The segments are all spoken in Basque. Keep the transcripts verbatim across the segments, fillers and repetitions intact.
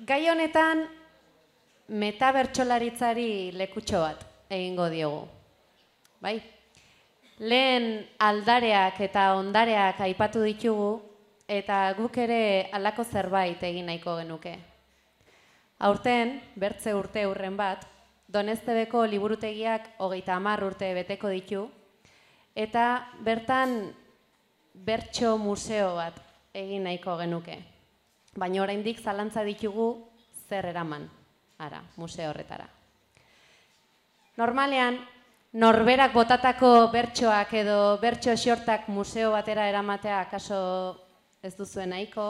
gai honetan metabertsolaritzari lekutxo bat egingo diogu. Bai? Lehen aldareak eta ondareak aipatu ditugu eta guk ere halako zerbait egin nahiko genuke. Aurten, bertze urte urren bat, Doneztebeko liburutegiak hogeita hamar urte beteko ditu eta bertan bertso museo bat egin nahiko genuke. Baina oraindik zalantza ditugu zer eraman, ara, museo horretara. Normalean, norberak botatako bertsoak edo bertso xortak museo batera eramatea akaso ez duzuen nahiko,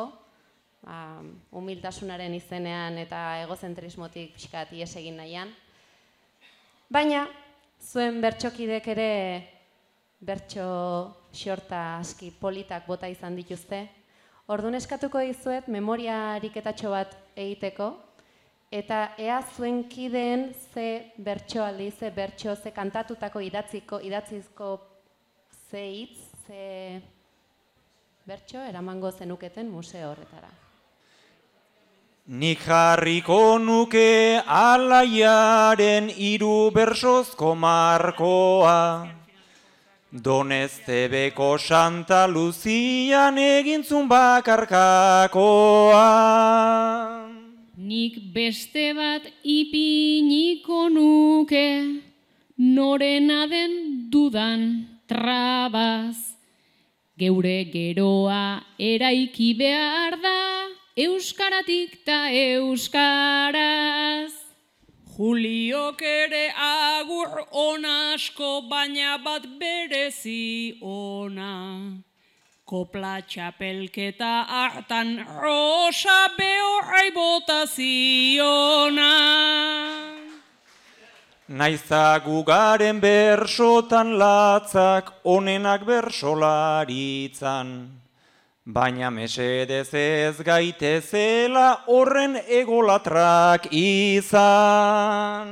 ba, humiltasunaren izenean eta egozentrismotik pixkat ihes egin nahian. Baina, zuen bertsokidek ere bertso xorta aski politak bota izan dituzte. Orduan eskatuko dizuet memoria ariketatxo bat egiteko, eta ea zuen kideen ze bertsoaldi, ze bertso, ze kantatutako idatziko, idatzizko ze hitz, ze bertso eramango zenuketen museo horretara. Nik jarriko nuke Alaiaren hiru bersozko markoa, Doneztebeko Santa Luzian egintzun bakarkakoa. Nik beste bat ipiniko nuke, norena den dudan trabaz. Geure geroa eraiki behar da, euskaratik ta euskaraz. Juliok ere agur ona asko, baina bat berezi ona. Kopla txapelketa hartan rosa behorrai bota ziona. Naizta gugaren bersotan latzak, onenak bersolaritzan. Baina mesedez ez gaitezela horren egolatrak izan.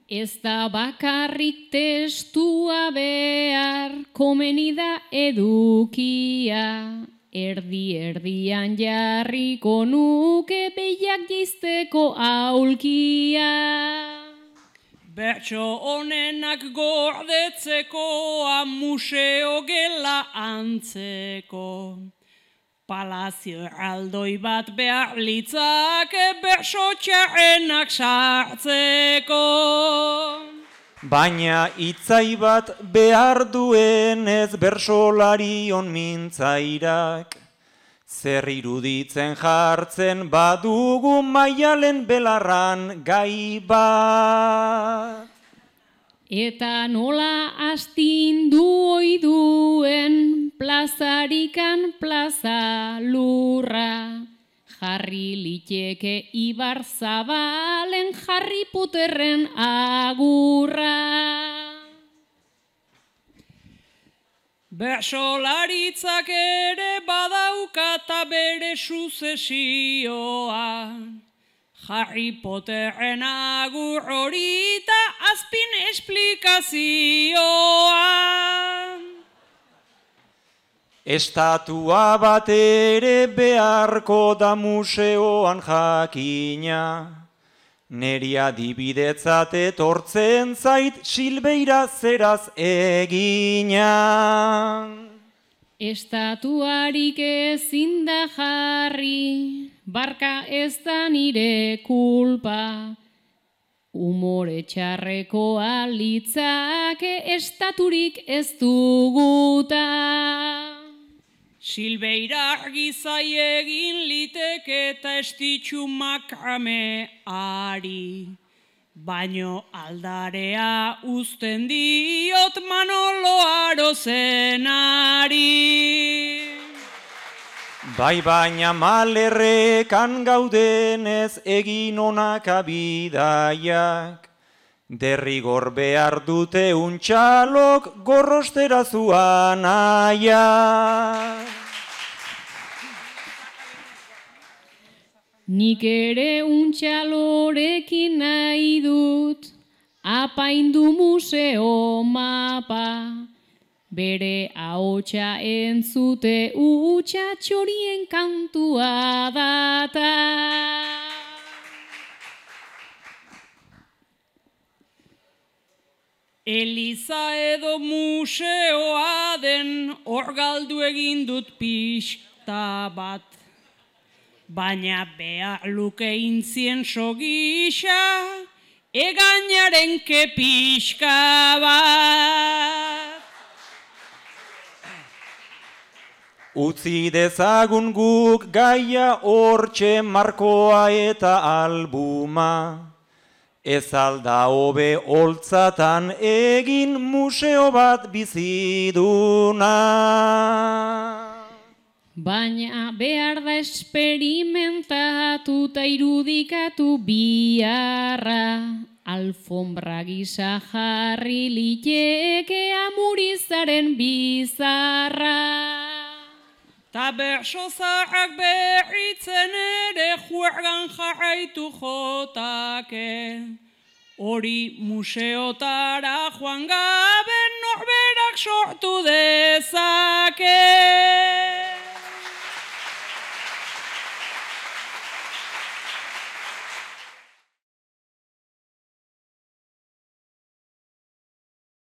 Ez da bakarrik testua behar, komeni da edukia. Erdi erdian jarriko nuke behiak jizteko aulkia. Bertso honenak gordetzekoa, museo gela antzeko. Palazio erraldoi bat behar litzake bertso txarrenak sartzeko. Baina itzai bat behar duenez bersolarion mintzairak, zer iruditzen jartzen badugu maialen belarran gai bat. Eta nola astindu oiduen plazarikan plaza lurra, jarri liteke Ibar Zabalen Harry Potterren agurra. Bersolaritzak ere badaukata bere suzesioa, Harry Potterren agur hori eta azpin esplikazioa. Estatua bat ere beharko da museoan jakina, neri adibidetzat etortzen zait Silbeira zeraz egina. Estatuarik ezin da jarri, barka ez da nire kulpa. Umore txarrekoa litzake estaturik ez duguta. Silbeira argizai egin liteke eta estitxu makrame ari. Baino aldarea uzten diot Manolo Arozenari. Bai baina malerrekan gaudenez egin onak abidaiak, derrigor behar dute untxalok gorrostera zuan aiak. Nik ere untxalorekin nahi dut, apaindu museo mapa, bere ahotsa entzute utxa txorien kantua data. Eliza edo museoa den hor galdu egin dut pixta bat. Baina behar luke intzienso gisa, egainaren kepixka bat. Utzi dezagun guk gaia hortxe markoa eta albuma. Ez alda hobe holtzatan egin museo bat biziduna. Baina behar da esperimentatu eta irudikatu biharra. Alfombra gisa jarri liteke amurizaren bizarra. Ta berso zaharrak berritzen ere juergan jarraitu jotake. Hori museotara joan gabe norberak sortu dezake.